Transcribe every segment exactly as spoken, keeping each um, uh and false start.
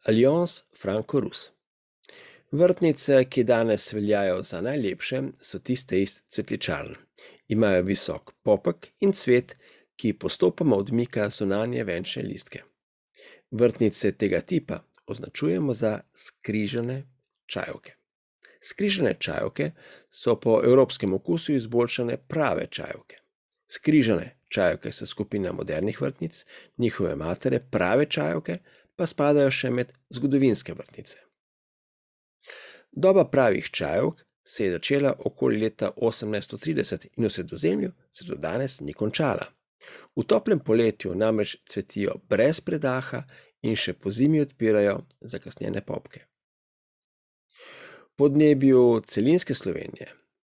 Alliance franco-rus. Vrtnice, ki danes veljajo za najlepše, so tiste iz cvetličarn. Imajo visok popek in cvet, ki postopoma odmika zunanje venčne listke. Vrtnice tega tipa označujemo za skrižane čajevke. Skrižane čajevke so po evropskem okusu izboljšane prave čajevke. Skrižane čajevke so skupina modernih vrtnic, njihove matere, prave čajevke, pa spadajo še med zgodovinske vrtnice. Doba pravih čajevk se je začela okoli leta osemnajststo trideset in v Sredozemlju se do danes ni končala. V toplem poletju namreč cvetijo brez predaha in še pozimi odpirajo zakasnjene popke. V podnebju celinske Slovenije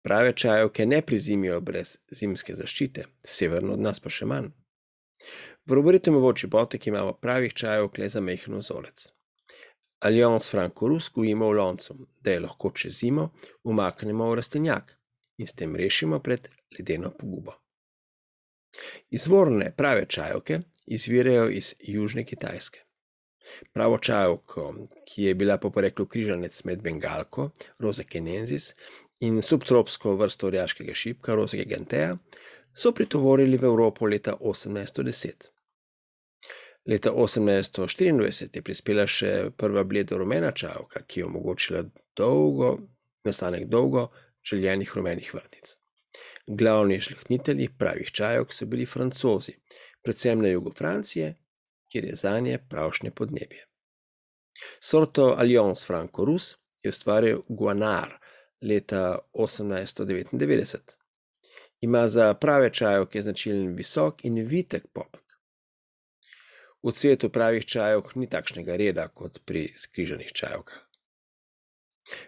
prave čajevke ne prezimijo brez zimske zaščite, severno od nas pa še manj. V Roberitovi Čibotek imamo pravih čajevk le za majhen vzorec. Alliance franco-rus gojimo v loncu, da je lahko čez zimo umaknemo v rastlinjak in s tem rešimo pred ledeno pogubo. Izvorne prave čajevke izvirajo iz južne Kitajske. Pravo čajevko, ki je bila po poreklu križanec med bengalko, Rosa kenensis, in subtropsko vrsto orjaškega šipka, Rosa gigantea, so pritovorili v Evropo leta osemnajststo deset. Leta osemnajststo štiriindvajset je prispela še prva bledo-rumena čajevka, ki je omogočila dolgo, nastanek dolgo željenih rumenih vrtnic. Glavni žlahtnitelji pravih čajevk so bili Francozi, predvsem na jugu Francije, kjer je zanje pravšnje podnebje. Sorto Alliance franco-rus je ustvaril Guanar leta osemnajststo devetindevetdeset. Ima za prave čajevke značilen visok in vitek popek. V cvetu pravih čajevk ni takšnega reda kot pri skrižanih čajevkah.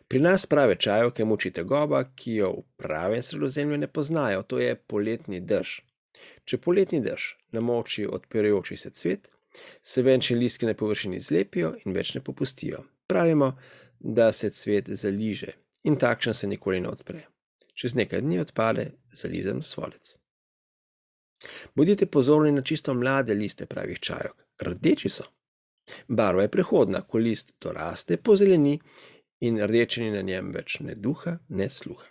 Pri nas prave čajevke muči tegoba, ki jo v pravem Sredozemlju ne poznajo, to je poletni dež. Če poletni dež namoči odpirajoči se cvet, se venčni listki na površini zlepijo in več ne popustijo. Pravimo, da se cvet zaliže in takšen se nikoli ne odpre. Čez nekaj dni odpade zalizen svolec. Bodite pozorni na čisto mlade liste pravih čajevk. Rdeči so. Barva je prehodna, ko list doraste, pozeleni in rdečini na njem več ne duha, ne sluha.